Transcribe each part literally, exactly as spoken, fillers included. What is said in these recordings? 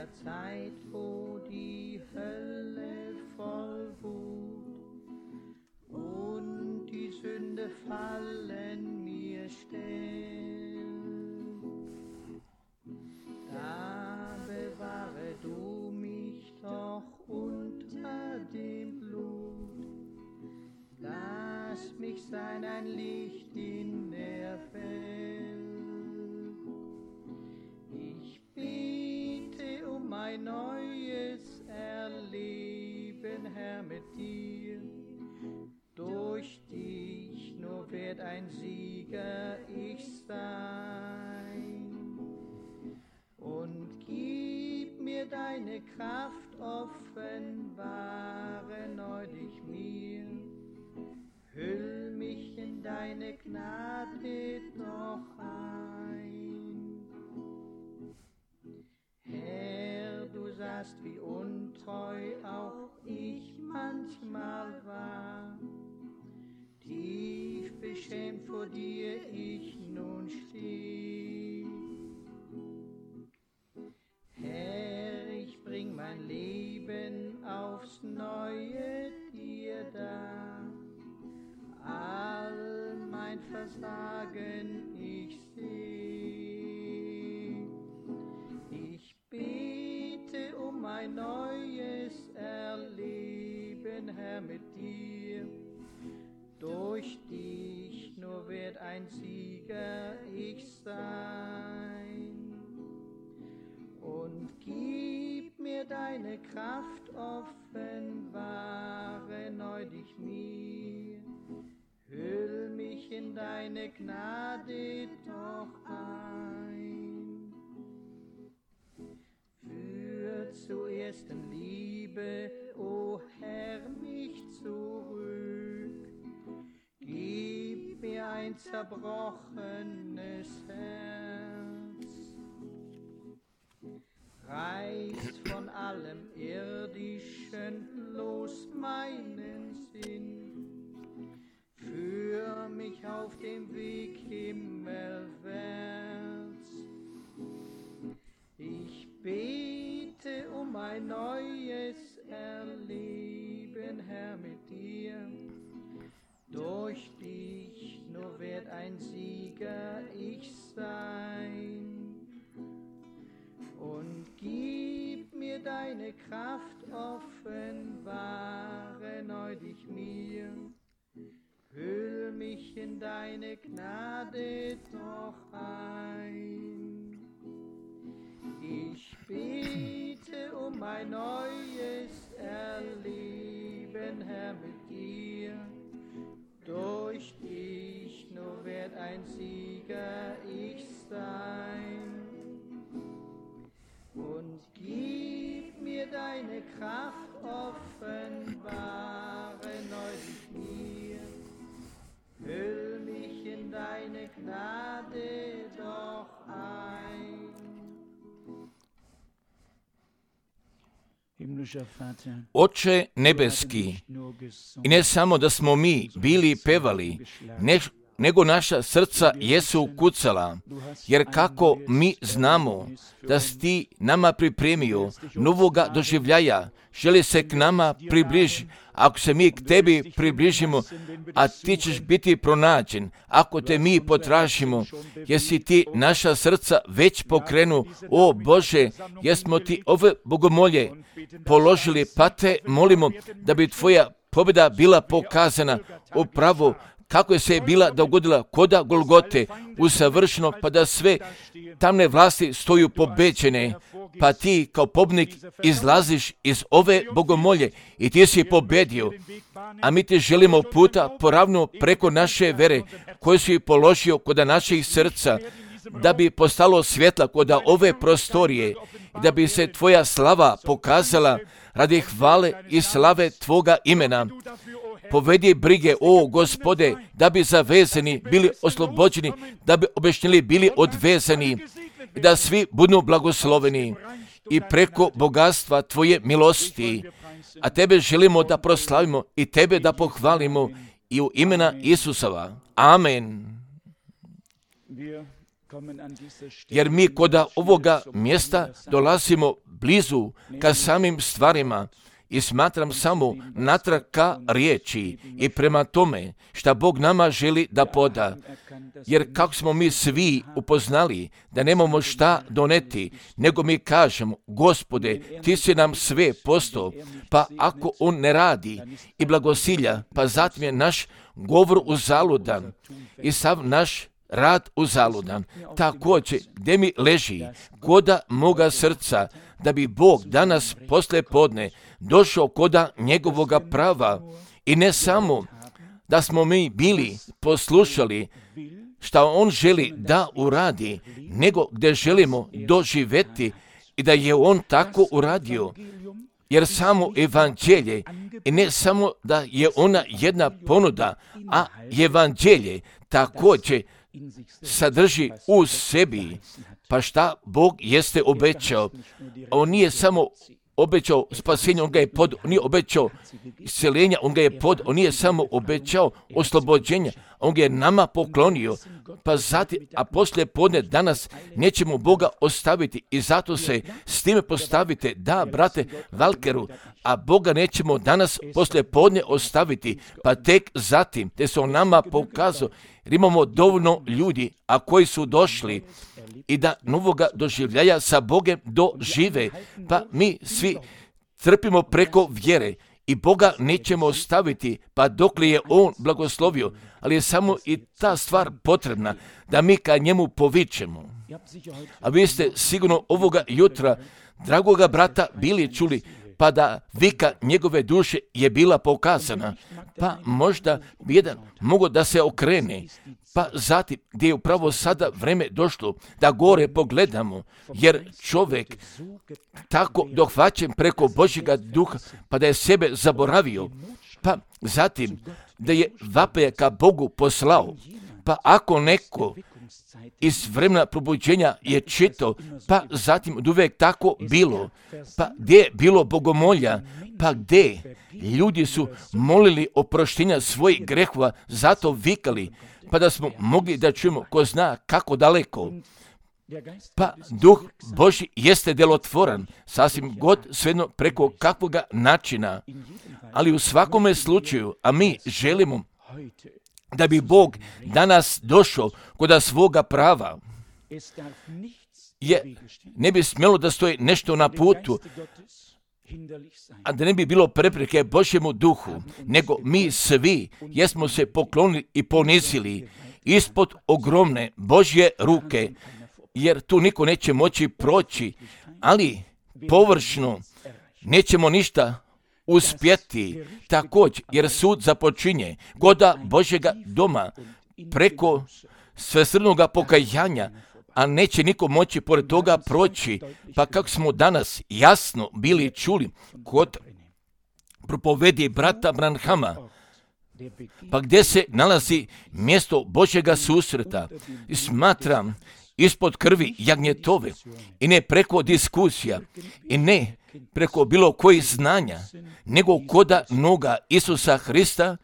der Zeit, wo die Hölle voll wut und die Sünde fallen mir stellt. Da bewahre du mich doch unter dem Blut, lass mich sein ein Licht in der Welt. Ich bitte um ein neues Erleben, Herr, mit dir. Durch dich nur wird ein Sieger ich sein. Und gib mir deine Kraft, offenbare neulich mir. Hüll mich in deine Gnade doch ein. Herr, du sahst, wie untreu auch ich manchmal war. Tief beschämt vor dir ich nun steh. Herr, ich bring mein Leben aufs Neue dir dar. All mein Versagen ich seh. Ich bete um ein neues Erleben, Herr, mit dir. Durch dich nur wird ein Sieger ich sein. Und gib mir deine Kraft, offenbare neulich mir. Hüll mich in deine Gnade doch ein. Führ zur ersten Liebe, o Herr, mich zurück. Gib mir ein zerbrochenes Herz. Reiß von allem Irdischen los meinen Sinn. Führ mich auf dem Weg himmelwärts. Ich bete um ein neues Erleben, Herr, mit dir. Durch dich nur wird ein Sieger ich sein. Und gib mir deine Kraft, offenbare neulich mir. Hüll mich in deine Gnade doch ein. Ich bete um ein neues Erleben, Herr, mit dir. Durch dich nur wird ein Sieger ich sein. Und gib mir deine Kraft, offenbare neulich mir. Hüll mich in deine Gnade doch ein. Oče nebeski, i ne samo da smo mi bili pevali, ne, nego naša srca jesu kucala, jer kako mi znamo da si ti nama pripremio novoga doživljaja, želi se k nama približi. Ako se mi k tebi približimo, a ti ćeš biti pronađen, ako te mi potražimo, jesi ti naša srca već pokrenu, o Bože, jesmo ti ove bogomolje položili, pa te molimo da bi tvoja pobjeda bila pokazana upravo kako je se bila dogodila koda Golgote, usavršeno, pa da sve tamne vlasti stoju pobeđene, pa ti kao pobjednik izlaziš iz ove bogomolje i ti si pobedio, a mi ti želimo puta poravno preko naše vere koju si položio kod naših srca, da bi postalo svjetla kod ove prostorije, da bi se tvoja slava pokazala radi hvale i slave tvoga imena. Povedi brige, o Gospode, da bi zavezani bili oslobođeni, da bi objašnjeni bili odvezani i da svi budu blagosloveni i preko bogatstva tvoje milosti. A tebe želimo da proslavimo i tebe da pohvalimo i u imena Isusova. Amen. Jer mi kod ovoga mjesta dolazimo blizu ka samim stvarima i smatram samo natrag ka riječi i prema tome šta Bog nama želi da poda. Jer kako smo mi svi upoznali da nemamo šta doneti, nego mi kažemo, Gospode, ti si nam sve postao, pa ako on ne radi i blagosilja, pa zatim je naš govor uzaludan i sav naš rad uzaludan. Također, gdje mi leži koda moga srca, da bi Bog danas posle podne došao koda njegovoga prava i ne samo da smo mi bili poslušali šta on želi da uradi, nego gdje želimo doživjeti i da je on tako uradio. Jer samo evanđelje, i ne samo da je ona jedna ponuda, a evanđelje također sadrži u sebi, pa šta Bog jeste obećao. On nije samo obećao spasenje, on ga je pod, on nije obećao isceljenja, on ga je pod, on nije samo obećao oslobođenja, on ga je nama poklonio. Pa zatim, a poslije podne danas nećemo Boga ostaviti i zato se s time postavite, da, brate Valkeru, a Boga nećemo danas poslije podne ostaviti, pa tek zatim, te se on nama pokazao, jer imamo dovoljno ljudi, a koji su došli i da novoga doživljaja sa Bogem dožive, pa mi svi trpimo preko vjere i Boga nećemo ostaviti, pa dok li je on blagoslovio, ali je samo i ta stvar potrebna, da mi ka njemu povičemo. A vi ste sigurno ovoga jutra, dragoga brata, bili čuli, pa da vika njegove duše je bila pokazana, pa možda bi jedan mogo da se okrene, pa zatim gdje je upravo sada vreme došlo da gore pogledamo, jer čovjek tako dohvaćen preko Božjega duha, pa da je sebe zaboravio, pa zatim da je vapaje ka Bogu poslao, pa ako neko iz vremena probuđenja je čitao, pa zatim od uvijek tako bilo, pa gdje je bilo bogomolja, pa gdje ljudi su molili oproštenja svojih grehova, zato vikali, pa da smo mogli da čujemo ko zna kako daleko. Pa Duh Božji jeste djelotvoran, sasvim god svejedno preko kakvoga načina, ali u svakome slučaju, a mi želimo da bi Bog danas došao kod svoga prava, je, ne bi smjelo da stoji nešto na putu, a da ne bi bilo prepreke Božjemu duhu, nego mi svi jesmo se poklonili i ponizili ispod ogromne Božje ruke, jer tu niko neće moći proći, ali površno nećemo ništa uspjeti također, jer sud započinje goda Božjega doma preko svesrdnoga pokajanja, a neće niko moći pored toga proći, pa kako smo danas jasno bili čuli kod propovedi brata Branhama, pa gdje se nalazi mjesto Božjega susreta, i smatram ispod krvi jagnjetove, i ne preko diskusija, i ne preko bilo kojih znanja, nego koda noga Isusa Hrista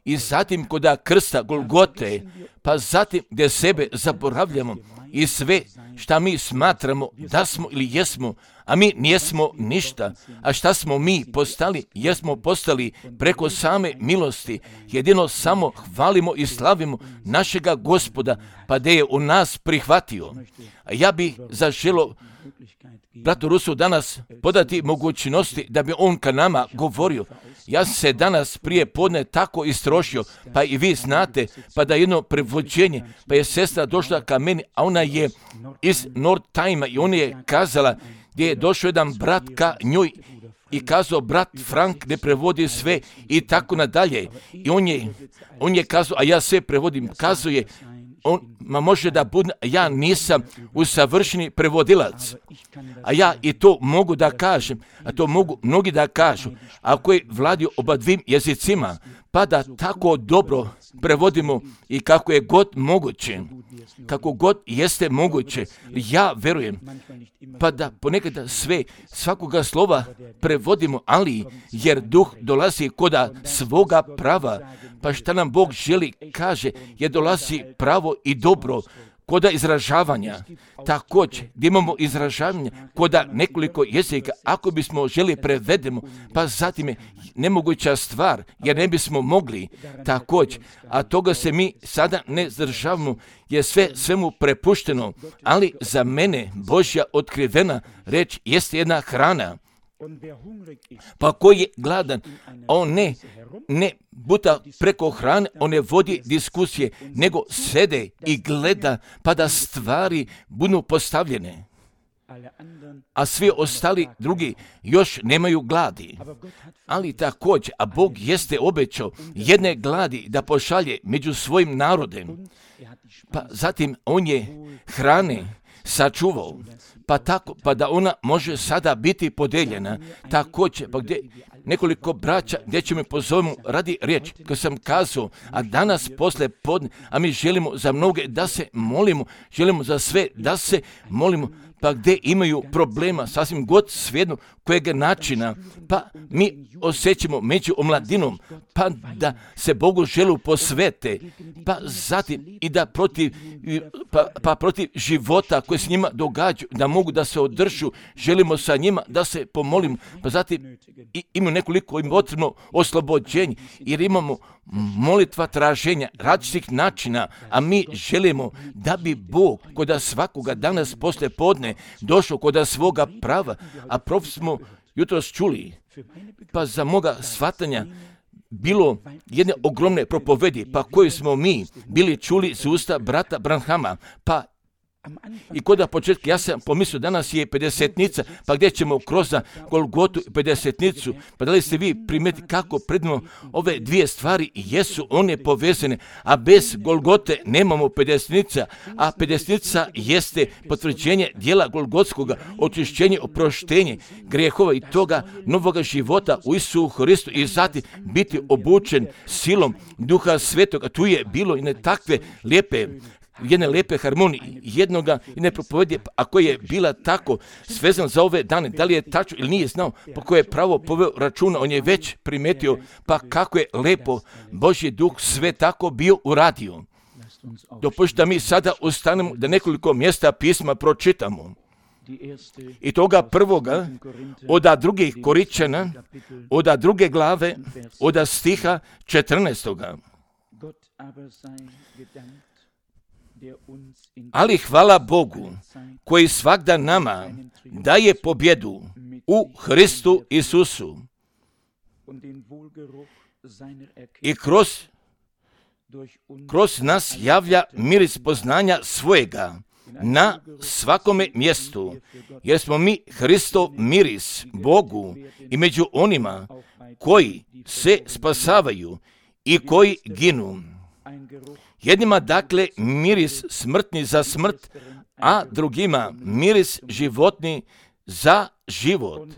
i zatim koda krsta Golgote, pa zatim gdje sebe zaboravljamo i sve šta mi smatramo da smo ili jesmo, a mi nijesmo ništa, a šta smo mi postali, jer smo postali preko same milosti, jedino samo hvalimo i slavimo našega Gospoda, pa da je u nas prihvatio. A ja bih zaželo bratu Rusu danas podati mogućnosti da bi on ka nama govorio. Ja se danas prije podne tako istrošio, pa i vi znate, pa da jedno prevođenje, pa je sestra došla ka meni, a ona je iz Nordtajma i ona je kazala gdje je došao jedan brat ka njoj i kazao, brat Frank ne prevodi sve i tako nadalje. I on je, on je kazao, a ja sve prevodim, kazuje, on ma može da bude, ja nisam usavršeni prevodilac, a ja i to mogu da kažem, a to mogu mnogi da kažu, ako je vladio oba dvim jezicima, pa da tako dobro prevodimo i kako je god moguće, kako god jeste moguće, ja verujem, pa da ponekada sve, svakoga slova prevodimo, ali jer duh dolazi koda svoga prava, pa šta nam Bog želi, kaže, jer dolazi pravo i dobro koda izražavanja, također gdje imamo izražavanja koda nekoliko jezika, ako bismo želi prevedemo, pa zatim je nemoguća stvar, jer ne bismo mogli također, a toga se mi sada ne zdržavamo, je sve svemu prepušteno, ali za mene Božja otkrivena reč jeste jedna hrana. Pa koji je gladan, on ne, ne buta preko hrane, on ne vodi diskusije, nego sede i gleda pa da stvari budu postavljene. A svi ostali drugi još nemaju gladi. Ali također, a Bog jeste obećao jedne gladi da pošalje među svojim narodem. Pa zatim on je hrane sačuvao, pa tako, pa da ona može sada biti podeljena. Također, pa gdje nekoliko braća, gdje ćemo pozovemo radi riječ, kao sam kazao, a danas posle podne, a mi želimo za mnoge da se molimo, želimo za sve da se molimo, pa gdje imaju problema, sasvim god svejedno kojeg načina, pa mi osjećamo među omladinom, pa da se Bogu želu posvete, pa zatim i da protiv, pa, pa protiv života koje se njima događaju, da mogu da se održu, želimo sa njima da se pomolimo, pa zatim i, imamo nekoliko im potrebno oslobođenje, jer imamo molitva traženja različitih načina, a mi želimo da bi Bog koda svakoga danas posle podne došao koda svoga prava, a prof smo jutros čuli, pa za moga shvatanja bilo jedne ogromne propovedi, pa koje smo mi bili čuli z usta brata Branhama, pa i koda početka, ja sam pomislio danas je pedesetnica, pa gdje ćemo kroz Golgotu i pedesetnicu, pa da li ste vi primetili kako predno ove dvije stvari jesu one povezane, a bez Golgote nemamo pedesetnica, a pedesetnica jeste potvrđenje dijela Golgotskoga, očišćenje, oproštenje grijehova i toga novoga života u Isusu Hristu i zatim biti obučen silom Duha Svetoga. Tu je bilo i ne takve lijepe jedne lijepe harmonije, jednoga i ne propovedi, a koja je bila tako svezana za ove dane, da li je tačno ili nije znao, po koje je pravo poveo računa, on je već primetio, pa kako je lepo Božji duh sve tako bio uradio. Dopustite da mi sada ustanemo da nekoliko mjesta pisma pročitamo. I toga prvoga, oda drugih Koričana, oda druge glave, oda stiha četrnaestoga. Ali hvala Bogu, koji svakda nama daje pobjedu u Hristu Isusu i kroz, kroz nas javlja miris poznanja svojega na svakome mjestu, jer smo mi Hristov miris Bogu i među onima koji se spasavaju i koji ginu. Jednima dakle miris smrtni za smrt, a drugima miris životni za život.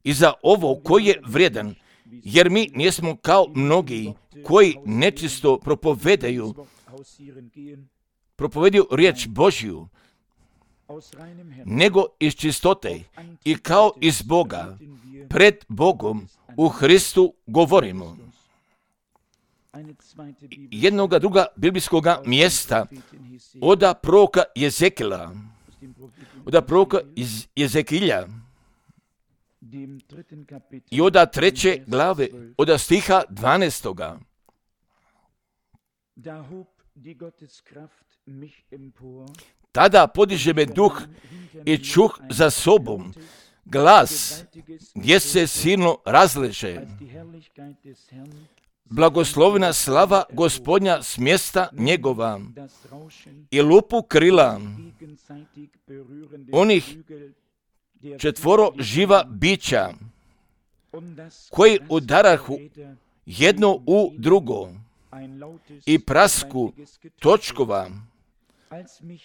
I za ovo koji je vrijedan, jer mi nismo kao mnogi koji nečisto propovedaju, propovedaju riječ Božju, nego iz čistote i kao iz Boga, pred Bogom u Hristu govorimo. Jednoga druga biblijskoga mjesta oda proroka Jezekila, oda proroka iz Jezekilja i oda treće glave, oda stiha dvanaestoga. Tada podiže me duh i čuh za sobom glas gdje se silno razleže. Blagoslovena slava Gospodnja s mjesta njegova i lupu krila onih četvoro živa bića koji udarahu jedno u drugo i prasku točkova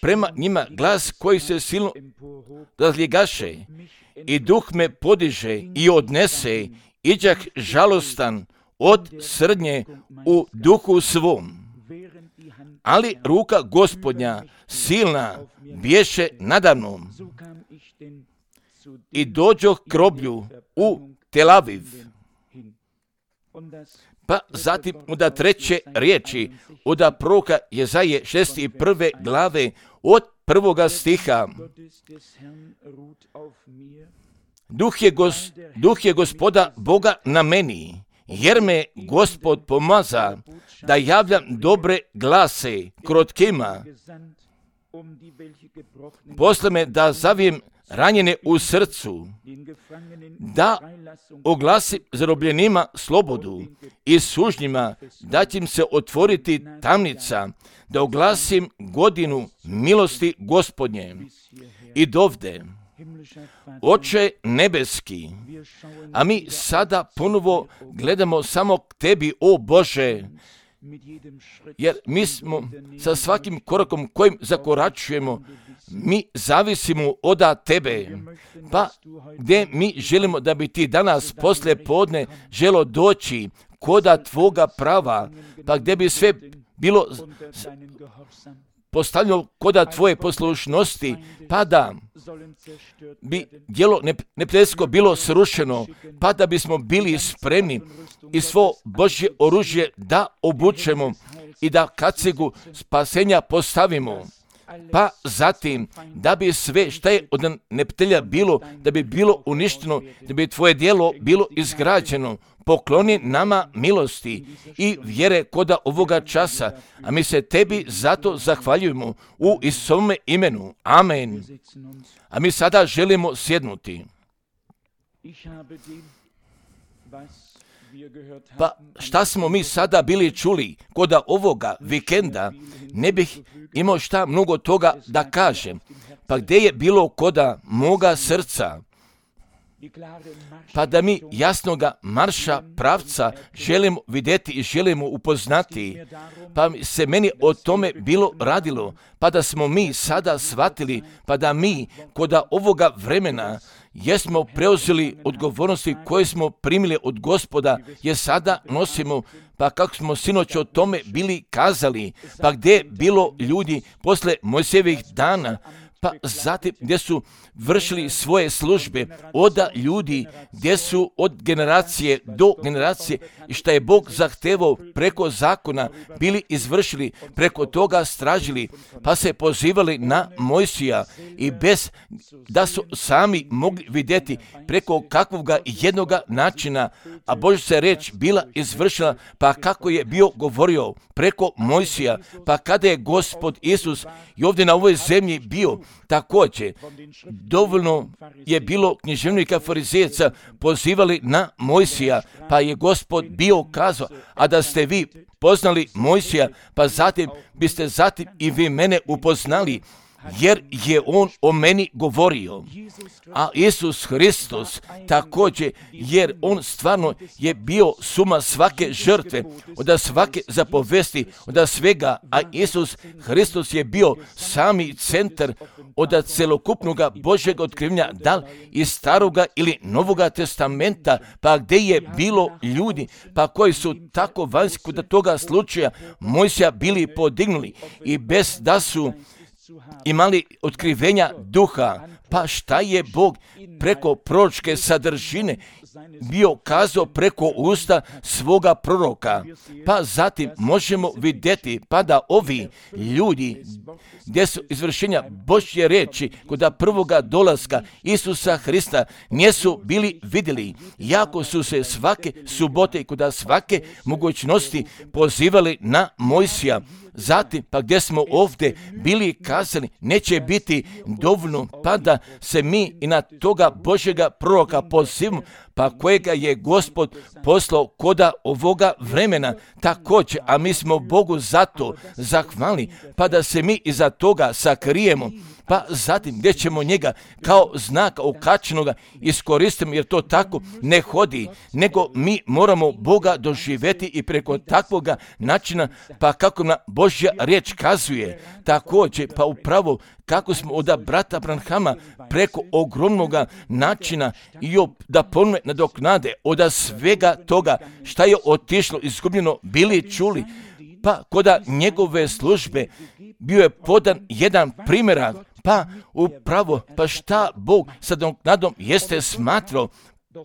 prema njima glas koji se silno razljegaše i duh me podiže i odnese, iđah žalostan od srdnje u duhu svom. Ali ruka Gospodnja silna bješe nadamnom i dođoh k groblju u Tel Aviv. Pa zatim onda treće riječi, od proroka Jezaje šezdeset prve glave, od prvoga stiha. Duh je, gos, duh je Gospoda Boga na meni, jer me Gospod pomaza da javljam dobre glase krotkima. Posle me da zavijem ranjene u srcu, da oglasim zarobljenima slobodu i sužnjima, da će im se otvoriti tamnica, da oglasim godinu milosti Gospodnje. I dovde, Oče nebeski, a mi sada ponovo gledamo samo k Tebi, o Bože, jer mi smo sa svakim korakom kojim zakoračujemo, mi zavisimo od Tebe, pa gdje mi želimo da bi Ti danas poslije podne želo doći koda Tvoga prava, pa gdje bi sve bilo postavljeno koda Tvoje poslušnosti, pa da bi djelo neprijateljsko bilo srušeno, pa da bismo bili spremni i svo Božje oružje da obučemo i da kacigu spasenja postavimo. Pa zatim, da bi sve šta je od neprijatelja bilo, da bi bilo uništeno, da bi Tvoje djelo bilo izgrađeno, pokloni nama milosti i vjere koda ovoga časa, a mi se Tebi zato zahvaljujemo u Isusovome imenu. Amen. A mi sada želimo sjednuti. Pa šta smo mi sada bili čuli koda ovoga vikenda, ne bih imao šta mnogo toga da kažem. Pa gdje je bilo koda moga srca? Pa da mi jasnoga marša pravca želimo vidjeti i želimo upoznati, pa se meni o tome bilo radilo, pa da smo mi sada shvatili, pa da mi koda ovoga vremena jesmo preuzeli odgovornosti koje smo primili od Gospoda, je sada nosimo, pa kako smo sinoć o tome bili kazali, pa gdje je bilo ljudi posle Mojsijevih dana, pa zatim gdje su vršili svoje službe, od ljudi gdje su od generacije do generacije i šta je Bog zahtevao preko zakona bili izvršili, preko toga stražili, pa se pozivali na Mojsija i bez da su sami mogli vidjeti preko kakvoga jednoga načina, a Božja se reč bila izvršila, pa kako je bio govorio preko Mojsija, pa kada je Gospod Isus i ovdje na ovoj zemlji bio, također dovoljno je bilo književnika farizejaca pozivali na Mojsija, pa je Gospod bio kazao, a da ste vi poznali Mojsija, pa zatim biste zatim i vi mene upoznali, jer je on o meni govorio. A Isus Hristos također, jer on stvarno je bio suma svake žrtve, od svake zapovesti, od svega, a Isus Hristos je bio sami centar od celokupnog Božjeg otkrivenja, da li iz staroga ili novoga testamenta, pa gdje je bilo ljudi, pa koji su tako vanjski kod toga slučaja Mojsija bili podignuli i bez da su imali otkrivenja duha, pa šta je Bog preko proročke sadržine bio kazao preko usta svoga proroka. Pa zatim možemo vidjeti pa da ovi ljudi gdje su izvršenja Božje reči kod prvoga dolaska Isusa Hrista nisu bili vidjeli, jako su se svake subote i kod svake mogućnosti pozivali na Mojsija. Zatim, pa gdje smo ovdje bili kazali, neće biti dovoljno, pa da se mi i na toga Božjega proroka pozivamo, pa kojega je Gospod poslao koda ovoga vremena također, a mi smo Bogu zato zahvalni, pa da se mi iza toga sakrijemo, pa zatim gdje ćemo njega kao znak okačenoga iskoristimo, jer to tako ne hodi, nego mi moramo Boga doživjeti i preko takvoga načina, pa kako nam Božja riječ kazuje, također, pa upravo kako smo od brata Branhama preko ogromnog načina i da ponovno nadoknade od svega toga šta je otišlo, izgubljeno, bili čuli, pa koda njegove službe bio je podan jedan primjerak, pa upravo, pa šta Bog sa nadom jeste smatrao,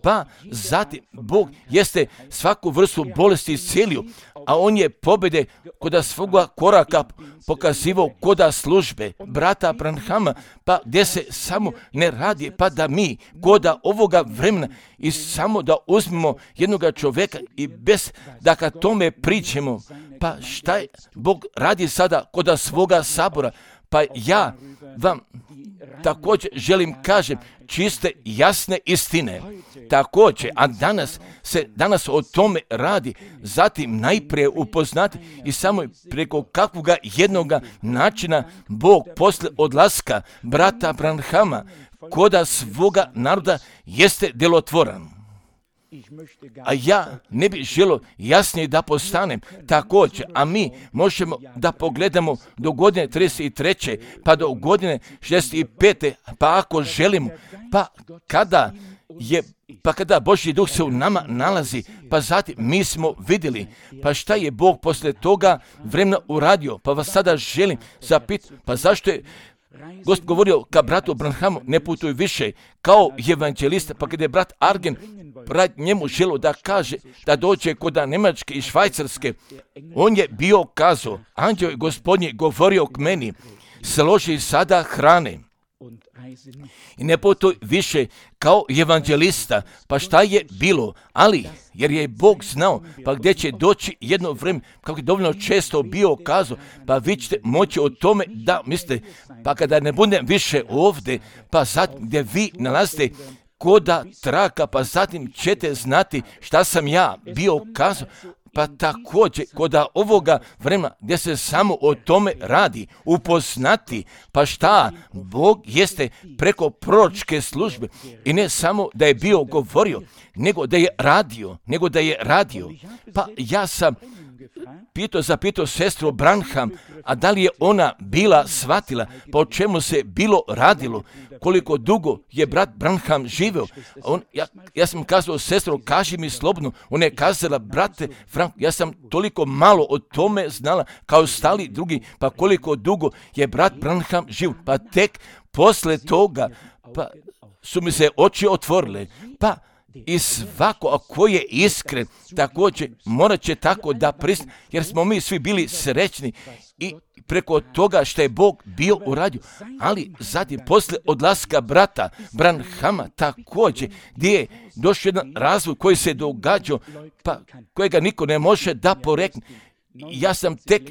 Pa zatim Bog jeste svaku vrstu bolesti iscijelio, a on je pobjede koda svoga koraka pokazivao koda službe brata Branhama, pa gdje se samo ne radi, pa da mi koda ovoga vremena i samo da uzmemo jednoga čovjeka i bez da ka tome pričemo, pa šta je Bog radi sada koda svoga sabora, pa ja vam također želim kažem čiste jasne istine. Također, a danas se danas o tome radi, zatim najprije upoznati i samo preko kakvoga jednoga načina Bog posle odlaska brata Branhama koda svoga naroda jeste djelotvoran. A ja ne bih želio jasnije da postanem također, a mi možemo da pogledamo do godine trideset treće pa do godine šezdeset pete pa ako želimo, pa kada je Pa kada Božji duh se u nama nalazi, pa zatim mi smo vidjeli, pa šta je Bog poslije toga vremena uradio, pa vas sada želim zapitati, pa zašto je Gospod govorio ka bratu Branhamu, ne putuj više kao evanđelista, pa kada je brat Argen brat njemu želio da kaže da dođe kod Njemačke i Švajcarske, on je bio kazao, anđeo je Gospodnji govorio k meni, složi sada hrane i ne putuj više kao evanđelista, pa šta je bilo, ali jer je Bog znao, pa gdje će doći jedno vrijeme, kako je dovoljno često bio kazao, pa vi ćete moći o tome da mislite, pa kada ne budem više ovdje, pa sad gdje vi nalazite koda traka, pa zatim ćete znati šta sam ja bio kazao, pa također koda ovoga vremena gdje se samo o tome radi, upoznati, pa šta Bog jeste preko proročke službe i ne samo da je bio govorio, nego da je radio, nego da je radio. Pa ja sam pitao, zapitao sestru Branham, a da li je ona bila shvatila pa o čemu se bilo radilo, koliko dugo je brat Branham živeo. On, ja, ja sam kazao, sestro, kaži mi slobodno. Ona je kazala, brate Frank, ja sam toliko malo o tome znala kao stali drugi, pa koliko dugo je brat Branham živ. Pa tek posle toga pa su mi se oči otvorile. Pa i svako ako je iskren također morat će tako da priznati, jer smo mi svi bili srećni i preko toga što je Bog bio uradio. Ali zatim posle odlaska brata Branhama također gdje je došao jedan razvoj koji se događao, pa kojega niko ne može da porekne. Ja sam tek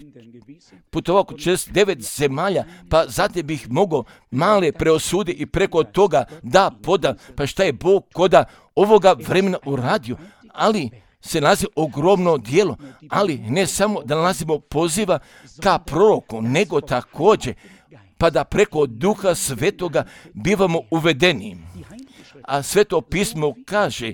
putovao kod šezdeset devet zemalja, pa zatim bih mogao male preosudi i preko toga da podam, pa šta je Bog koda ovoga vremena uradio, ali se nalazi ogromno djelo, ali ne samo da nalazimo poziva ka proroku, nego također pa da preko Duha Svetoga bivamo uvedeni. A Sveto pismo kaže,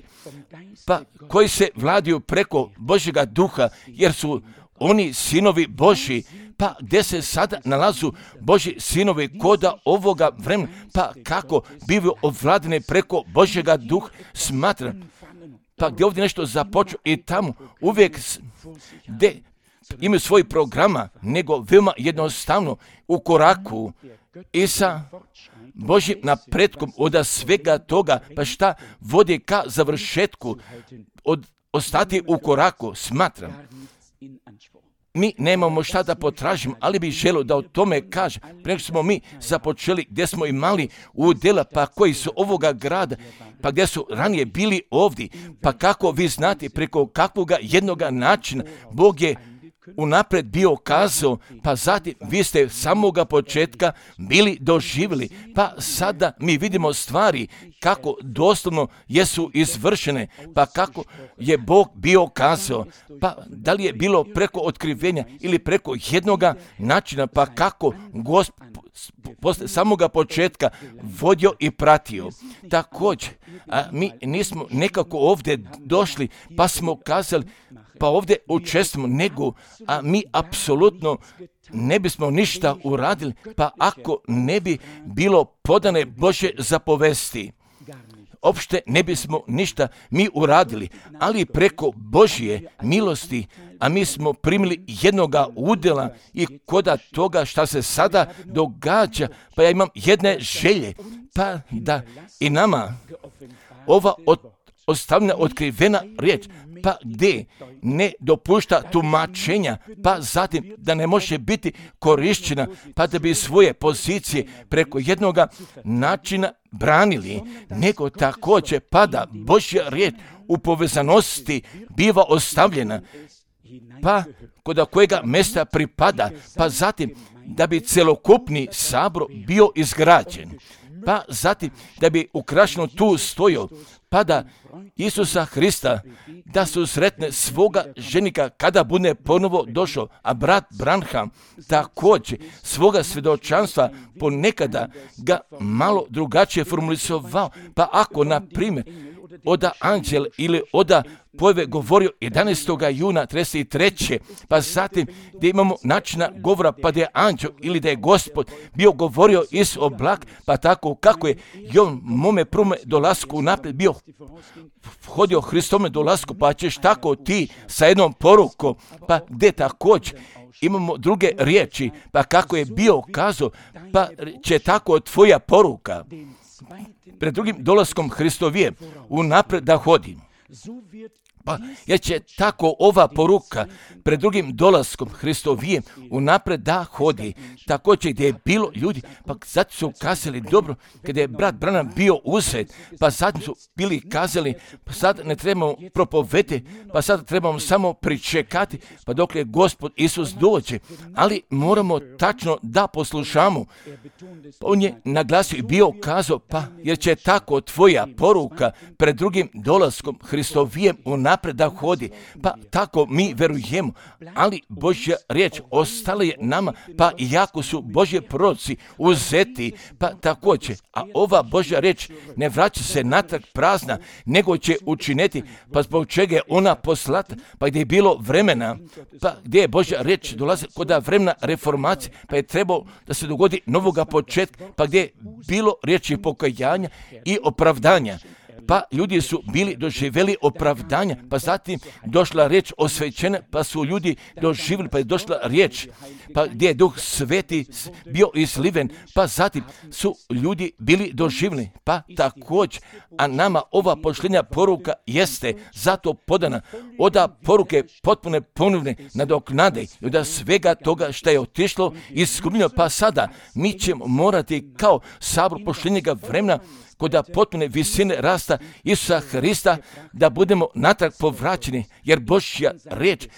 pa koji se vladaju preko Božjega Duha, jer su oni sinovi Božji, pa gdje se sada nalazu Božji sinovi koda ovoga vremena, pa kako bivaju ovladane preko Božjega Duha, smatram, pa gdje ovdje nešto započeo i tamo uvijek gdje imaju svoj programa, nego veoma jednostavno u koraku i sa Božjim napretkom od svega toga, pa šta vodi ka završetku, od, ostati u koraku, smatram. Mi nemamo šta da potražimo, ali bih želio da o tome kažem. Prije smo mi započeli gdje smo imali udjela, pa koji su ovoga grada, pa gdje su ranije bili ovdje, pa kako vi znate preko kakvoga jednoga načina Bog je unaprijed bio kazao, pa zatim vi ste samoga početka bili doživjeli, pa sada mi vidimo stvari kako doslovno jesu izvršene, pa kako je Bog bio kazao, pa da li je bilo preko otkrivenja ili preko jednoga načina, pa kako Gospod posle samoga početka vodio i pratio. Također, a mi nismo nekako ovdje došli, pa smo kazali, pa ovdje učestvujemo, nego, a mi apsolutno ne bismo ništa uradili, pa ako ne bi bilo podane Božje zapovesti, opšte ne bismo ništa mi uradili, ali preko Božje milosti, a mi smo primili jednoga udjela i koda toga šta se sada događa, pa ja imam jedne želje, pa da i nama ova od ostavljena otkrivena riječ, pa gdje ne dopušta tumačenja, pa zatim da ne može biti korišćena, pa da bi svoje pozicije preko jednoga načina branili, nego također pa da Božja riječ u povezanosti biva ostavljena, pa kod kojega mjesta pripada, pa zatim da bi celokupni sabor bio izgrađen, pa zatim da bi ukrašeno tu stojio, pa da Isusa Hrista da susretne svoga ženika kada bude ponovo došao, a brat Branham također svoga svjedočanstva ponekada ga malo drugačije formulisovao, pa ako na primjer oda anđel ili oda pojave govorio jedanaestog juna trideset treće pa zatim gdje imamo načina govora pa da je anđel ili da je Gospod bio govorio iz oblak, pa tako kako je i on mome prome dolasku naprijed bio hodio Hristome dolasku, pa ćeš tako ti sa jednom porukom, pa gdje također imamo druge riječi, pa kako je bio kazao, pa će tako tvoja poruka pred drugim dolaskom Hristovije unaprijed da hodi. Pa jer će tako ova poruka pred drugim dolaskom Hristovije unaprijed da hodi. Također gdje je bilo ljudi, pa zato su kazali dobro, kada je brat Branham bio uzet, pa sad su bili kazali, pa sad ne trebamo propovedati, pa sad trebamo samo pričekati, pa dok je Gospod Isus dođe. Ali moramo tačno da poslušamo. Pa on je naglasio i bio kazao, pa jer će tako tvoja poruka pred drugim dolaskom Hristovijem unaprijed da hodi, pa tako mi verujemo, ali Božja riječ ostala je nama, pa iako su Božje proroci uzeti, pa također, a ova Božja riječ ne vraća se natrag prazna, nego će učiniti, pa zbog čega je ona poslata, pa gdje je bilo vremena, pa gdje je Božja riječ dolazi kod vremena reformacije, pa je trebalo da se dogodi novoga početka, pa gdje je bilo riječi pokajanja i opravdanja. Pa ljudi su bili doživjeli opravdanja, pa zatim došla riječ osvećena, pa su ljudi doživjeli, pa je došla riječ, pa gdje je Duh Sveti bio izliven, pa zatim su ljudi bili doživjeli, pa također, a nama ova pošljenja poruka jeste zato podana, oda poruke potpune ponovne nadoknade i od svega toga što je otišlo izgubljeno, pa sada mi ćemo morati kao sabor pošljenjega vremena kod potpune visine rasta Isusa Hrista da budemo natrag povraćeni, jer Božja riječ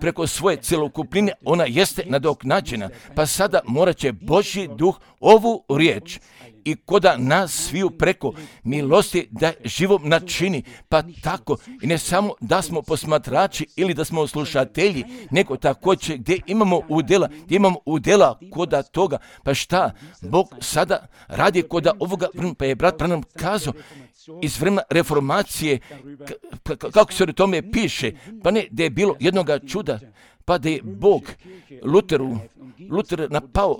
preko svoje celokupnine ona jeste nadoknađena, pa sada morat će Božji duh ovu riječ i koda nas sviju preko milosti da živom načini, pa tako i ne samo da smo posmatrači ili da smo slušatelji, nego također gdje imamo udjela, gdje imamo udjela koda toga, pa šta Bog sada radi koda ovoga, pa je brat Branham kazao, iz vremena reformacije, k- k- kako se o tome piše, pa ne da je bilo jednoga čuda, pa da je Bog Luteru, Luter napao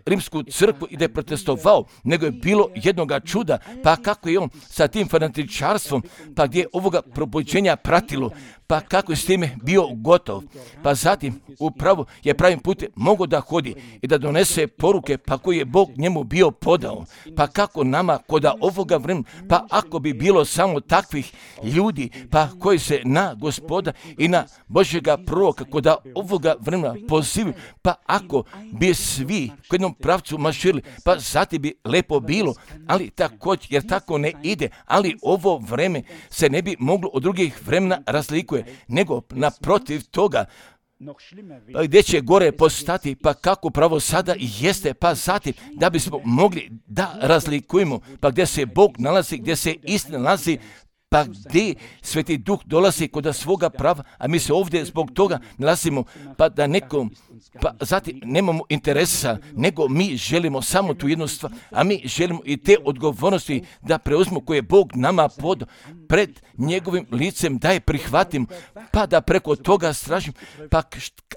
rimsku crkvu i da je protestovao, nego je bilo jednoga čuda, pa kako je on sa tim fanatičarstvom, pa gdje je ovoga probuđenja pratilo, pa kako je s time bio gotov, pa zatim upravo je pravim putem mogao da hodi i da donese poruke, pa koji je Bog njemu bio podao, pa kako nama koda ovoga vremena, pa ako bi bilo samo takvih ljudi, pa koji se na Gospoda i na Božjega proroka koda ovoga vremena pozivaju, pa ako bi svi u jednom pravcu maširili, pa zatim bi lepo bilo, ali također, jer tako ne ide, ali ovo vreme se ne bi moglo od drugih vremena razlikuje, nego naprotiv toga, pa gdje će gore postati, pa kako pravo sada i jeste, pa zatim da bismo mogli da razlikujemo, pa gdje se Bog nalazi, gdje se istina nalazi, pa gdje Sveti Duh dolazi kod svoga prava, a mi se ovdje zbog toga nalazimo, pa da nekom, pa zatim nemamo interesa, nego mi želimo samo tu jednu stvar, a mi želimo i te odgovornosti da preuzmemo koje je Bog nama podao pred njegovim licem, da je prihvatimo, pa da preko toga stražimo, pa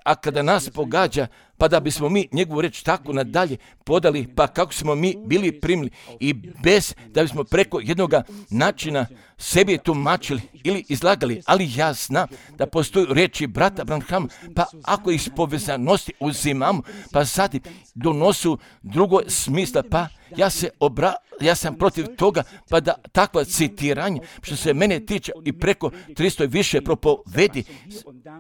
a kada nas pogađa, pa da bismo mi njegovu reč tako nadalje podali, pa kako smo mi bili primili i bez da bismo preko jednoga načina sebi tumačili ili izlagali, ali ja znam da postoji riječi brata Branhama, pa ako ih povezanosti uzimamo, pa zatim donosu drugo smisla, pa ja se obra, ja sam protiv toga, pa da takva citiranja, što se mene tiče i preko tristo i više propovedi,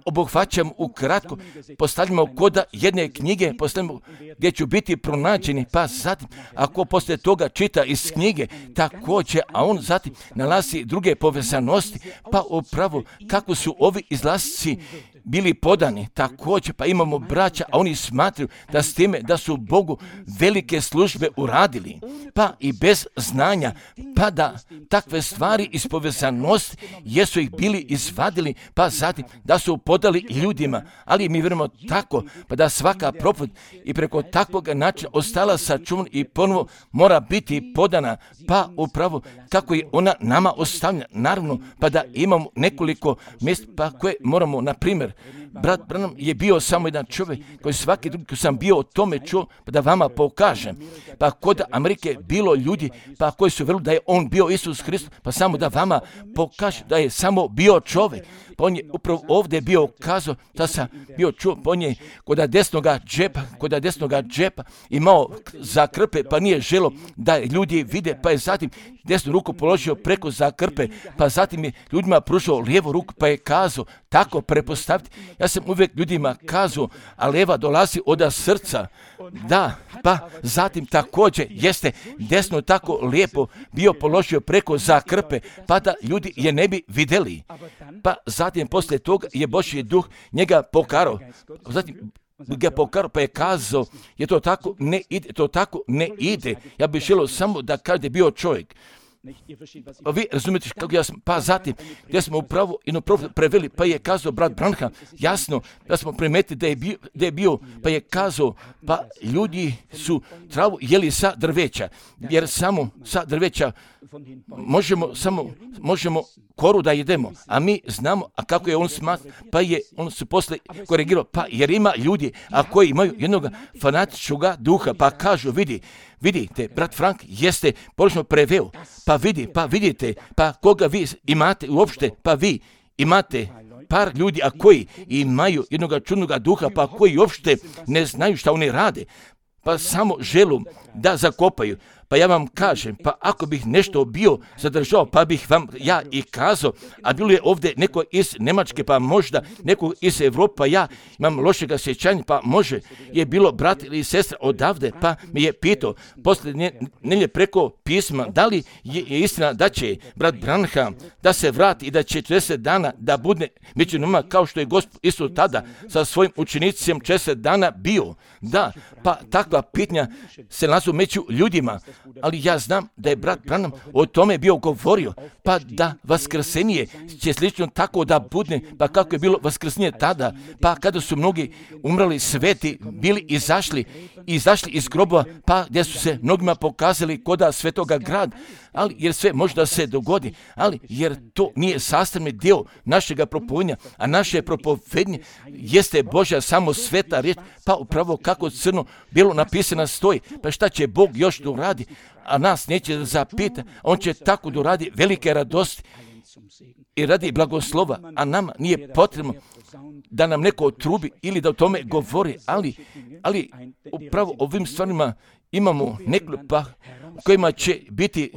obuhvaćam ukratko, postavljamo koda jedne knjige, postavljamo gdje ću biti pronađeni, pa zatim, ako poslije toga čita iz knjige, također, a on zatim nalazi druge povezanosti, pa upravo kako su ovi izlasci bili podani, također, pa imamo braća, a oni smatraju da s time da su Bogu velike službe uradili, pa i bez znanja, pa da takve stvari iz povezanosti jesu ih bili izvadili, pa zatim da su podali ljudima, ali mi vjerujemo tako, pa da svaka propoved i preko takvog načina ostala sačuvan i ponovo mora biti podana, pa upravo kako je ona nama ostavljena, naravno, pa da imamo nekoliko mjesta, pa koje moramo, na primjer, brat Branham je bio samo jedan čovjek koji svaki drugi koji sam bio o tome čuo, pa da vama pokažem. Pa kod Amerike bilo ljudi pa koji su vjerili da je on bio Isus Hristos, pa samo da vama pokaže da je samo bio čovjek. Pa on je upravo ovdje bio kazao da sam bio čuo, pa on je kod desnoga džepa, kod desnoga džepa imao zakrpe, pa nije želo da ljudi vide, pa je zatim desnu ruku položio preko zakrpe, pa zatim je ljudima pružio lijevu ruku, pa je kazao tako prepostaviti. Ja sam uvijek ljudima kazao, a leva dolazi od srca. Da, pa zatim također jeste desno tako lijepo bio položio preko zakrpe, pa da ljudi je ne bi vidjeli. Pa zatim poslije toga je Božji duh njega pokarao. Zatim ga pokarao pa je kazao, je to tako ne ide, to tako ne ide. Ja bih želio samo da kaže bio čovjek. Pa vi razumijete kako ja sam, pa zatim gdje smo upravo jedno preveli, pa je kazao brat Branham, jasno da smo primetili da je bio, da je bio, pa je kazao, pa ljudi su travu jeli sa drveća, jer samo sa drveća možemo samo možemo koru da jedemo, a mi znamo, a kako je on smatra, pa je on se posle korigirao, pa jer ima ljudi, a koji imaju jednog fanatičnog duha, pa kažu, vidi, vidite, brat Frank jeste položno preveo, pa vidi, pa vidite, pa koga vi imate uopšte, pa vi imate par ljudi, a koji imaju jednog čudnog duha, pa koji uopšte ne znaju šta oni rade, pa samo želu da zakopaju. Pa ja vam kažem, pa ako bih nešto bio zadržao, pa bih vam ja i kazao, a bilo je ovdje neko iz Njemačke, pa možda neko iz Evrope, pa ja imam lošega sjećanja, pa može je bilo brat ili sestra odavde, pa mi je pitao poslije nelje preko pisma, da li je istina da će brat Branham da se vrati i da će četrdeset dana da bude među nama kao što je Gospod isto tada sa svojim učenicima četrdeset dana bio. Da, pa takva pitanja se nalazu među ljudima. Ali ja znam da je brat Branham o tome bio govorio, pa da vaskrsenje će slično tako da bude, pa kako je bilo vaskrsenje tada, pa kada su mnogi umrali sveti, bili izašli, izašli iz grobova, pa gdje su se mnogima pokazali koda svetoga grada, ali jer sve može da se dogodi, ali jer to nije sastavni dio našega propovednja, a naše propovednje jeste Božja samo sveta riječ, pa upravo kako crno bilo napisano stoji, pa šta će Bog još da uradi, a nas neće da zapita, on će tako da uradi velike radosti i radi blagoslova, a nama nije potrebno da nam neko otrubi ili da o tome govori, ali, ali upravo ovim stvarima imamo nekoliko pa kojima će biti,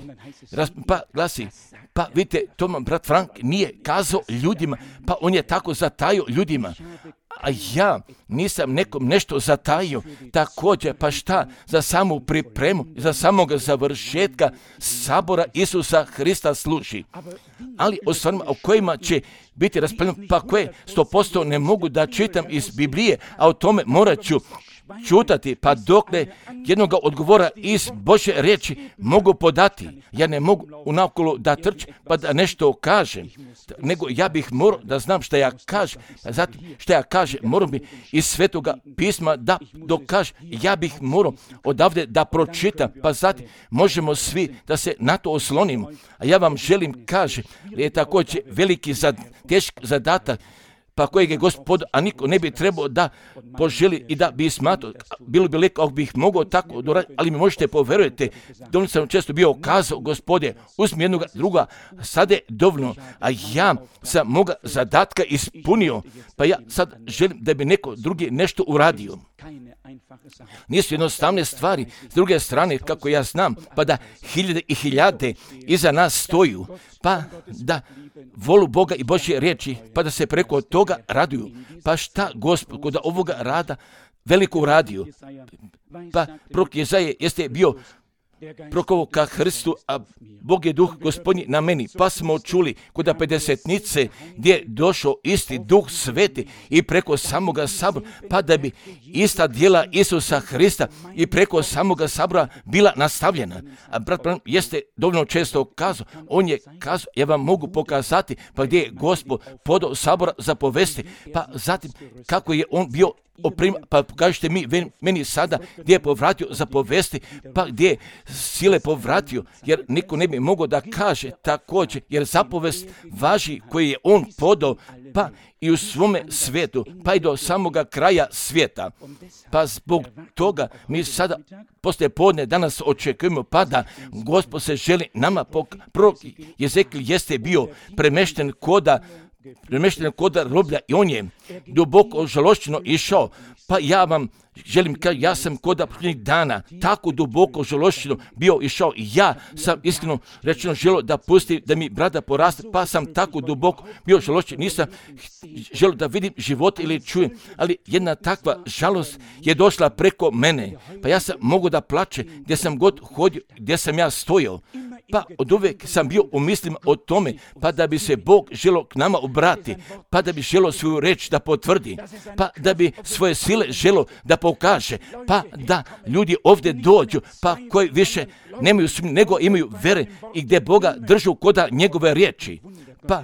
pa glasi, pa vidite, to vam brat Frank nije kazao ljudima, pa on je tako zatajio ljudima. A ja nisam nekom nešto zatajio, također, pa šta, za samu pripremu, za samog završetka sabora Isusa Hrista služi. Ali o stvarima o kojima će biti raspravljeno, pa koje sto posto ne mogu da čitam iz Biblije, a o tome morat ću čutati, pa dokle jednog odgovora iz Božje riječi mogu podati. Ja ne mogu unakolo da trčim pa da nešto kažem, nego ja bih morao da znam šta ja kažem, a zatim šta ja kažem moram bi iz Svetoga pisma da dokažem, ja bih morao odavde da pročitam, pa zatim možemo svi da se na to oslonimo. A ja vam želim kažem, je također veliki zad, teški zadatak, pa kojeg je Gospod, a niko ne bi trebao da poželi i da bi smatrao. Bilo bi leko ako bih mogao tako doraditi, ali mi možete povjerujete, dovoljno sam često bio kazao, Gospode, uzmi jednog druga, sad je dovoljno, a ja sam moga zadatka ispunio, pa ja sad želim da bi neko drugi nešto uradio. Nisu jednostavne stvari. S druge strane, kako ja znam, pa da hiljade i hiljade iza nas stoju, pa da volu Boga i Božje riječi, pa da se preko toga raduju. Pa šta Gospod kod ovoga rada veliko uradio? Pa prorok Jezaja jeste bio prokovo ka Hristu, a Bog je duh Gospodnji na meni. Pa smo čuli kod pedesetnice gdje je došao isti duh sveti i preko samoga sabora, pa da bi ista djela Isusa Hrista i preko samoga sabora bila nastavljena. A brat Branham jeste dovoljno često kazao, on je kazao, ja vam mogu pokazati, pa gdje je Gospod podao sabora za povesti, pa zatim kako je on bio oprima, pa kažete mi meni sada gdje je povratio za povesti, pa gdje je sile povratio, jer niko ne bi mogao da kaže također, jer zapovest važi koji je on podao, pa i u svome svijetu, pa i do samoga kraja svijeta. Pa zbog toga mi sada poslije podne danas očekujemo, pa da Gospod se želi nama pokazati. Prorok Jezekil jeste bio premešten koda premešten koda roblja i on je duboko žalošćeno išao. Pa ja vam želim kažem, ja sam koda prošlih dana tako duboko žalošćeno bio išao i ja sam iskreno rečeno želio da pusti da mi brada poraste, pa sam tako duboko bio žalošćen, nisam želio da vidim život ili čujem, ali jedna takva žalost je došla preko mene, pa ja sam mogu da plače gdje sam god hodio, gdje sam ja stojao. Pa od uvijek sam bio u mislima o tome, pa da bi se Bog želio k nama obrati, pa da bi želio svoju reč da potvrdi, pa da bi svoje sile želio da pokaže, pa da ljudi ovdje dođu, pa koji više nemaju sumnje, nego imaju vere i gdje Boga držu koda njegove riječi. Pa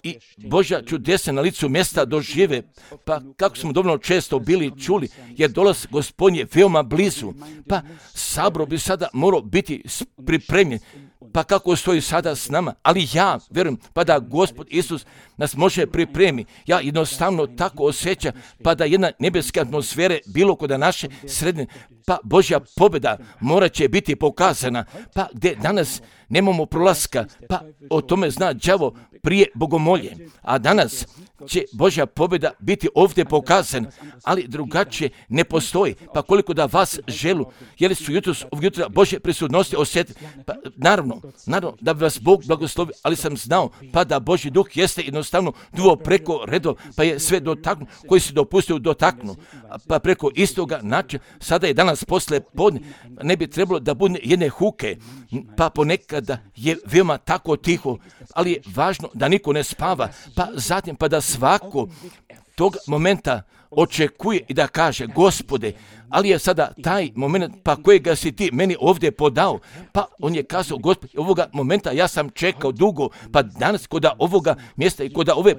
i Božja čudesa na licu mjesta dožive, pa kako smo dovoljno često bili čuli, jer dolaz Gospodnje je veoma blizu, pa sabor bi sada morao biti pripremljen, pa kako stoji sada s nama, ali ja vjerujem pa da Gospod Isus nas može pripremiti. Ja jednostavno tako osjećam, pa da jedna nebeska atmosfera bilo kod naše sredine, pa Božja pobjeda morat će biti pokazana, pa gdje danas nemamo prolaska, pa o tome zna đavo prije bogomolje, a danas će Božja pobjeda biti ovdje pokazana, ali drugačije ne postoji. Pa koliko da vas želu, jer su jutros, jutra Božje prisutnosti osjetiti, pa naravno, naravno da bi vas Bog blagoslovi, ali sam znao pa da Božji duh jeste jednostavno duo preko redov, pa je sve dotaknu, koji se dopustio dotaknu, pa preko istoga načina, sada je danas posle podne, ne bi trebalo da bude jedne huke, pa ponekada je veoma tako tiho, ali je važno da niko ne spava, pa zatim pa da svako tog momenta očekuje i da kaže, Gospode, ali je sada taj moment pa kojega si ti meni ovdje podao, pa on je kazao, Gospod, ovoga momenta ja sam čekao dugo, pa danas kod ovoga mjesta i kod ove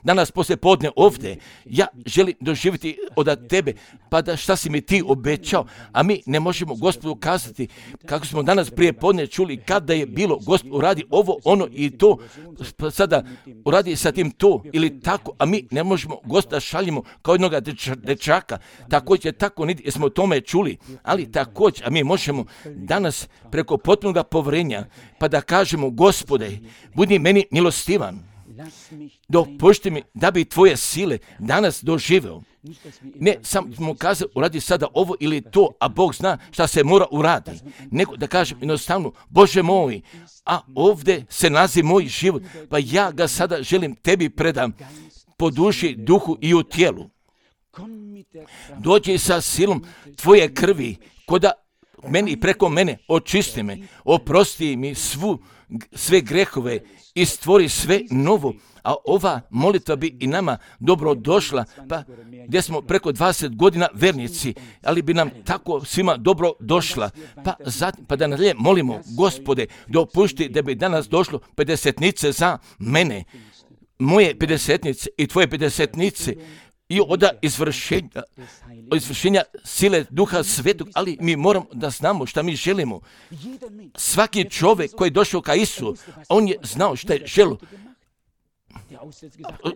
danas poslije podne ovdje, ja želim doživjeti od tebe, pa da šta si mi ti obećao, a mi ne možemo Gospodu kazati, kako smo danas prije podne čuli, kada je bilo, Gospod uradi ovo, ono i to, pa sada uradi sa tim to ili tako, a mi ne možemo Gospoda šaljimo kao jednoga dečaka, također tako niti jer smo o tome čuli, ali također, a mi možemo danas preko potpunog povjerenja, pa da kažemo, Gospode, budi meni milostivan, dopušti mi da bi tvoje sile danas doživeo. Ne samo smo kazali uradi sada ovo ili to, a Bog zna šta se mora uraditi, nego da kažem jednostavno, Bože moj, a ovdje se nalazi moj život, pa ja ga sada želim tebi predam po duši, duhu i u tijelu. Dođi sa silom tvoje krvi, koda meni i preko mene očisti me, oprosti mi svu, sve grehove i stvori sve novo. A ova molitva bi i nama dobro došla, pa gdje smo preko dvadeset godina vernici, ali bi nam tako svima dobro došla. Pa, zatim, pa da nadalje molimo, Gospode, dopušti da bi danas došlo pedesetnice za mene, moje pedesetnice i tvoje pedesetnice, i od izvršenja, izvršenja sile Duha Svetog, ali mi moramo da znamo šta mi želimo. Svaki čovjek koji je došao ka Isu, on je znao šta je želio.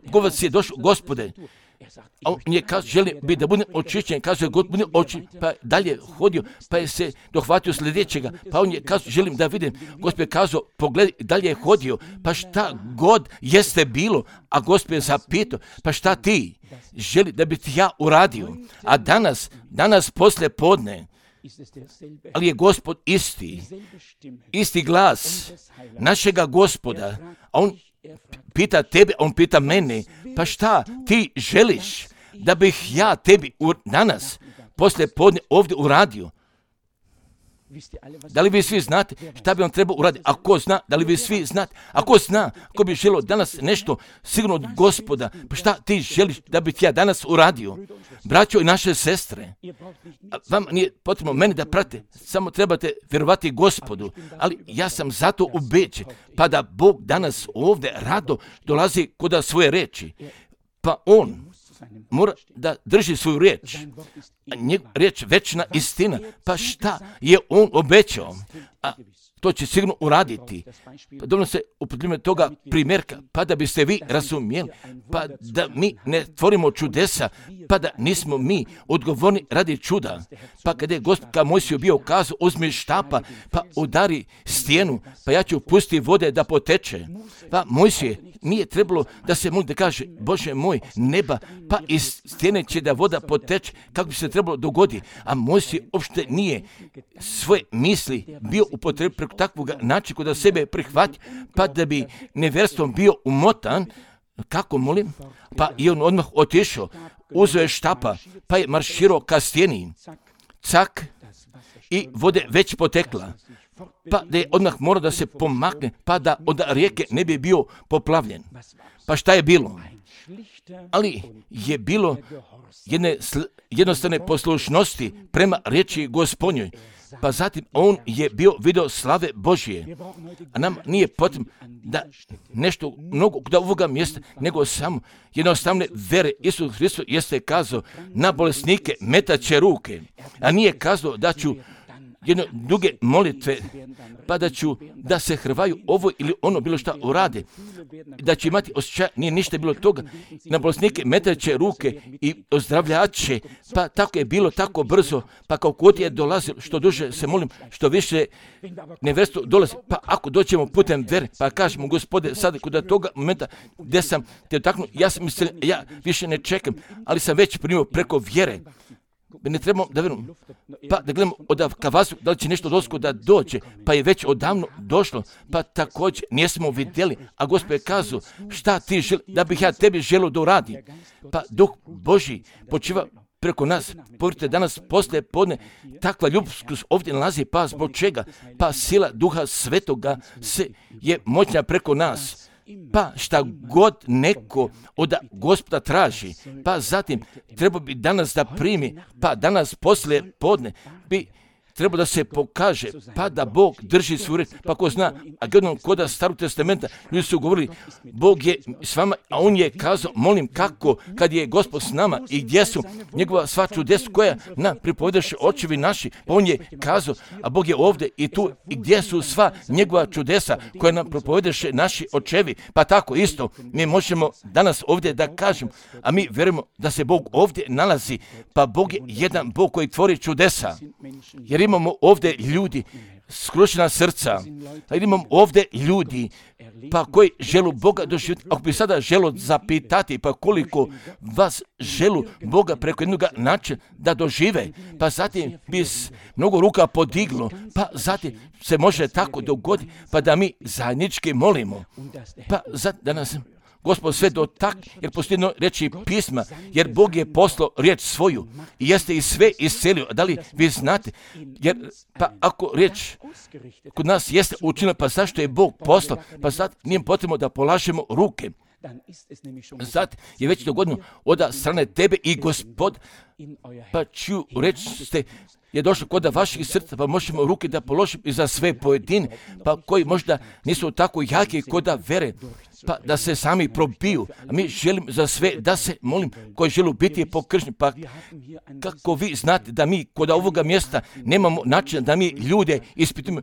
Govac je došao, Gospode, A on je kazao, želim biti da budem očišćen, kazao je, God budem očišćen, pa dalje hodio, pa je se dohvatio sljedećega, pa on je kazao, želim da vidim, Gospod je kazao, pogledaj, dalje je hodio, pa šta god jeste bilo, a Gospod je zapitao, pa šta ti želi da bi ti ja uradio, a danas, danas poslije podne, ali je Gospod isti, isti glas našega Gospoda, a on pita tebe, on pita mene, pa šta ti želiš da bih ja tebi danas, poslije podne ovdje uradio? Da li vi svi znate šta bi on trebao uraditi? Ako zna, da li vi svi znate? Ako zna, ako bi želio danas nešto sigurno od Gospoda, pa šta ti želiš da bi ti ja danas uradio? Braćo i naše sestre, vam nije potrebno meni da prate, samo trebate vjerovati Gospodu, ali ja sam zato ubeđen, pa da Bog danas ovdje rado dolazi kod svoje reči, pa on mora da drži svoju riječ, a njegova riječ večna istina, pa šta je on obećao, a to će sigurno uraditi. Pa dobro se upotrebimo toga primjerka, pa da biste vi razumijeli, pa da mi ne tvorimo čudesa, pa da nismo mi odgovorni radi čuda. Pa kada je Gospod ka Mojsiju bio kazao, uzmi štapa, pa udari stijenu, pa ja ću pustiti vode da poteče. Pa Mojsije nije trebalo da se moli da kaže, Bože moj, neba, pa iz stijene će da voda poteče, kako bi se trebalo dogoditi. A Mojsije uopšte nije svoje misli bio upotrebljen preko takvog načina kod da sebe prihvati, pa da bi nevjerstvom bio umotan. Kako molim? Pa i on odmah otišao, uzeo je štapa, pa je marširao ka stijeni. Cak, i vode već potekla. Pa da je odmah morao da se pomakne, pa da od rijeke ne bi bio poplavljen. Pa šta je bilo? Ali je bilo jedne jednostavne poslušnosti prema riječi Gospodnjoj. Pa zatim on je bio video slave Božje. A nam nije potrebno da nešto mnogo kod ovoga mjesta, nego samo jednostavne vere. Isus Hristos jeste kazao, na bolesnike metaće ruke, a nije kazao da ću jedno duge molitve, pa da ću da se hrvaju ovo ili ono bilo šta urade, da će imati osjećaj, nije ništa bilo toga, na bolesnike metaće ruke i ozdravljače, pa tako je bilo tako brzo, pa kao kod je dolazilo, što duže se molim, što više nevjerstvo dolazi, pa ako doćemo putem vere, pa kažemo, Gospode, sad kod toga momenta gdje sam te taknuo, ja sam mislio, ja više ne čekam, ali sam već primio preko vjere. Ne trebamo da vjerujemo, pa da gledamo od kavazu da li će nešto dosko da dođe, pa je već odavno došlo, pa također nismo vidjeli, a Gospod je kazao, šta ti želi, da bih ja tebi želio da uradi. Pa Duh Božji počiva preko nas, povjerite danas poslije podne, takva ljubskost ovdje nalazi, pa zbog čega? Pa sila Duha Svetoga se je moćna preko nas. Pa šta god neko od Gospoda traži, pa zatim treba bi danas da primi, pa danas poslije podne bi treba da se pokaže, pa da Bog drži svoju riječ. Pa ko zna, a gledam koda Starog testamenta, ljudi su govorili, Bog je s vama, a on je kazao, molim kako, kad je Gospod s nama i gdje su njegova sva čudesa koja nam pripovedaše očevi naši, pa on je kazao, a Bog je ovdje i tu, i gdje su sva njegova čudesa koja nam pripovedaše naši očevi, pa tako isto, mi možemo danas ovdje da kažemo, a mi vjerujemo da se Bog ovdje nalazi, pa Bog je jedan Bog koji tvori čudesa, jer imamo ovdje ljudi skrušena srca, a imamo ovdje ljudi pa koji želu Boga doživjeti. Ako bi sada želo zapitati pa koliko vas želu Boga preko jednog načina da dožive, pa zatim bi mnogo ruka podiglo, pa zatim se može tako dogoditi, pa da mi zajednički molimo, pa zatim da nas Gospod sve do tak, jer postoji reći pisma, jer Bog je poslao riječ svoju i jeste i sve iscelio. Da li vi znate? Jer, pa ako riječ kod nas jeste učinila, pa zašto je Bog poslao? Pa sad nije potrebno da polažemo ruke. Sad je već dogodno od strane tebe i Gospod pa čiju reč ste je došlo kod vaših srca, pa možemo ruke da položimo i za sve pojedine, pa koji možda nisu tako jaki kod vere, pa da se sami probiju. A mi želim za sve da se molim koji žele biti pokršteni. Pa kako vi znate da mi kod ovoga mjesta nemamo načina da mi ljude ispitujemo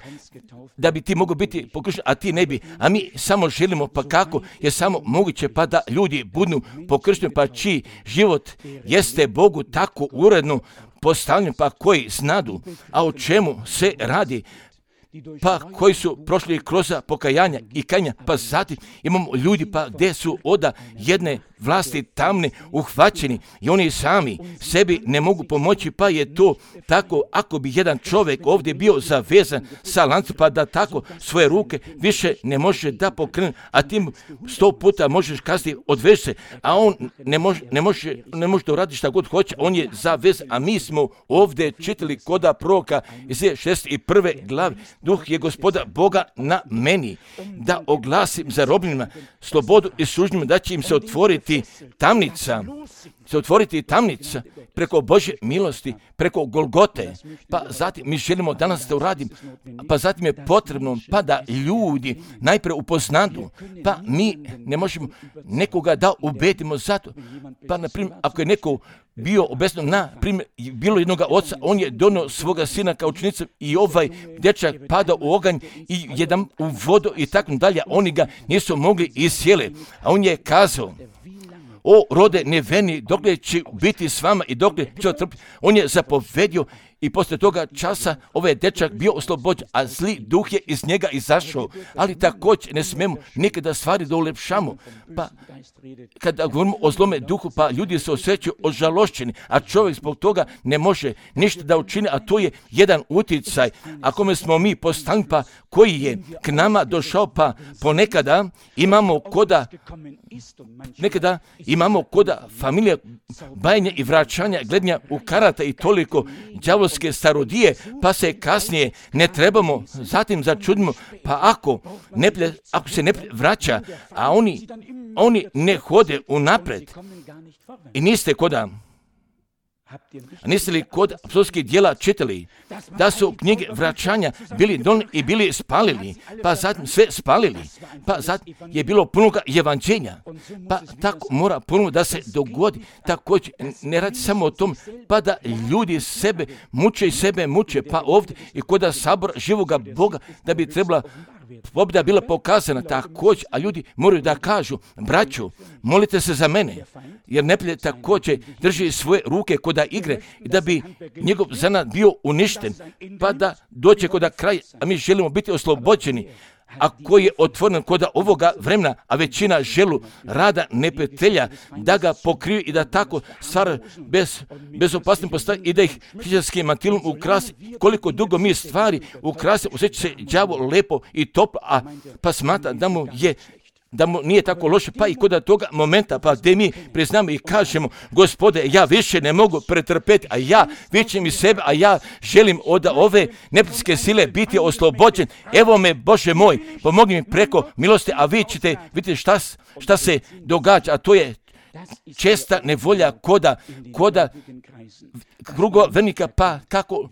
da bi ti mogli biti pokršteni, a ti ne bi. A mi samo želimo, pa kako je samo moguće pa da ljudi budu pokršteni, pa čiji život jeste Bogu tako uredno postavljen, pa koji znadu, a o čemu se radi, pa koji su prošli kroz pokajanja i kajanja, pa zatim imamo ljudi pa gdje su od jedne vlasti tamne uhvaćeni i oni sami sebi ne mogu pomoći, pa je to tako ako bi jedan čovjek ovdje bio zavezan sa lancem, pa da tako svoje ruke više ne može da pokrene, a tim sto puta možeš kasnije odveći se, a on ne može, ne može, ne može da uradi šta god hoće, on je zavezan, a mi smo ovdje čitali koda proroka iz šesdeset prve glave, duh je Gospoda Boga na meni, da oglasim zarobljenima slobodu i sužnjima, da će im se otvoriti tamnica, se otvoriti tamnica preko Božje milosti, preko Golgote, pa zatim mi želimo danas da uradim, pa zatim je potrebno pa da ljudi najprije upoznadu, pa mi ne možemo nekoga da ubedimo zato, pa na primjer ako je neko bio obesno, na primjer, bilo jednoga oca, on je donio svoga sina kao učenica i ovaj dječak pada u oganj i jedan u vodu i tako dalje, oni ga nisu mogli isjele, a on je kazao: o rode neveni, dokle će biti s vama i dokle će otrpiti. On je zapovedio i poslije toga časa ovaj dečak bio oslobođen, a zli duh je iz njega izašao. Ali također ne smemo nikada stvari da ulepšamo. Pa kada govorimo o zlome duhu, pa ljudi se osjećaju ožalošćeni, a čovjek zbog toga ne može ništa da učini, a to je jedan utjecaj. A kome smo mi postali, pa koji je k nama došao, pa ponekada imamo koda nekada imamo koda familija bajanja i vraćanja, gledanja u karata i toliko đavolske starodije, pa se kasnije ne trebamo zatim začudimo, pa ako, ne, ako se ne vraća, a oni, oni ne hode unapred i niste koda A niste li kod apostolskih djela čitali da su knjige vraćanja bili donili i bili spalili, pa zatim sve spalili, pa zatim je bilo puno evanđelja, pa tako mora puno da se dogodi, također ne radi samo o tom, pa da ljudi sebe muče i sebe muče, pa ovdje i kod sabora živoga Boga da bi trebala pobjeda bila pokazana također, a ljudi moraju da kažu: braću, molite se za mene, jer neprijatelj također drži svoje ruke kod igre i da bi njegov zanat bio uništen, pa da doće kod kraja, a mi želimo biti oslobođeni, a koji je otvoren kod ovoga vremena, a većina želu rada neprijatelja da ga pokriju i da tako stvar bez, bezopasnim postavi i da ih hrišćanskim mantilom ukrasi. Koliko dugo mi stvari ukrasi, osjeća se đavo lepo i toplo, a pa smatra da mu je da mu nije tako loše, pa i kod toga momenta, pa gdje mi priznamo i kažemo: Gospode, ja više ne mogu pretrpeti, a ja vičem iz sebe, a ja želim od ove neprijateljske sile biti oslobođen. Evo me, Bože moj, pomogni mi preko milosti, a vi ćete vidjeti šta, šta se događa, a to je česta nevolja koda, koda krugova vernika, pa kako,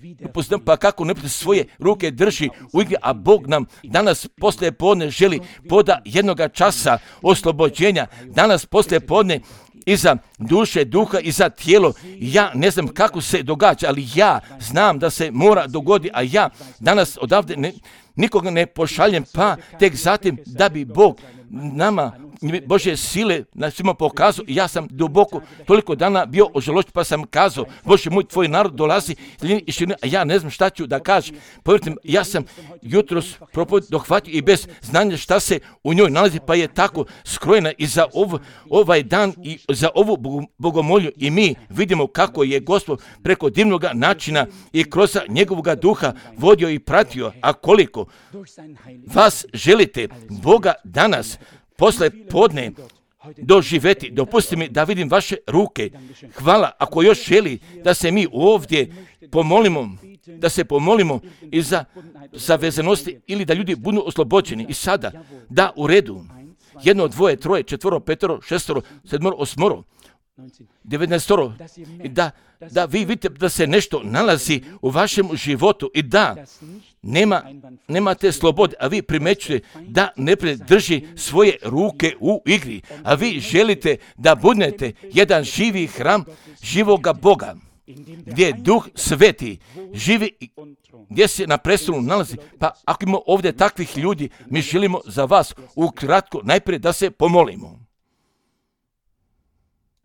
pa kako neprijatelj svoje ruke drži u igri, a Bog nam danas poslije podne želi poda jednoga časa oslobođenja, danas poslije podne i za duše, duha i za tijelo. Ja ne znam kako se događa, ali ja znam da se mora dogoditi, a ja danas odavde ne, nikoga ne pošaljem, pa tek zatim da bi Bog nama Božje sile na svima pokazao. Ja sam duboko toliko dana bio ožalošćen, pa sam kazao: Bože moj, tvoj narod dolazi i širine, a ja ne znam šta ću da kažem. Povjerujte, ja sam jutros propoved dohvatio i bez znanja šta se u njoj nalazi, pa je tako skrojena i za ov, ovaj dan i za ovu bogomolju, i mi vidimo kako je Gospod preko divnog načina i kroz njegovog duha vodio i pratio. A koliko vas želite Boga danas posle podne doživeti, dopustite mi da vidim vaše ruke. Hvala. Ako još želi da se mi ovdje pomolimo, da se pomolimo i za, za vezanosti ili da ljudi budu oslobođeni. I sada, da, u redu, jedno, dvoje, troje, četvoro, petoro, šestoro, sedmoro, osmoro, devetnaest da, da vi vidite da se nešto nalazi u vašem životu i da nema, nemate slobode, a vi primećujete da neprijatelj drži svoje ruke u igri, a vi želite da budete jedan živi hram živoga Boga, gdje Duh Sveti živi, gdje se na prestolu nalazi. Pa ako imamo ovdje takvih ljudi, mi želimo za vas ukratko najprije da se pomolimo.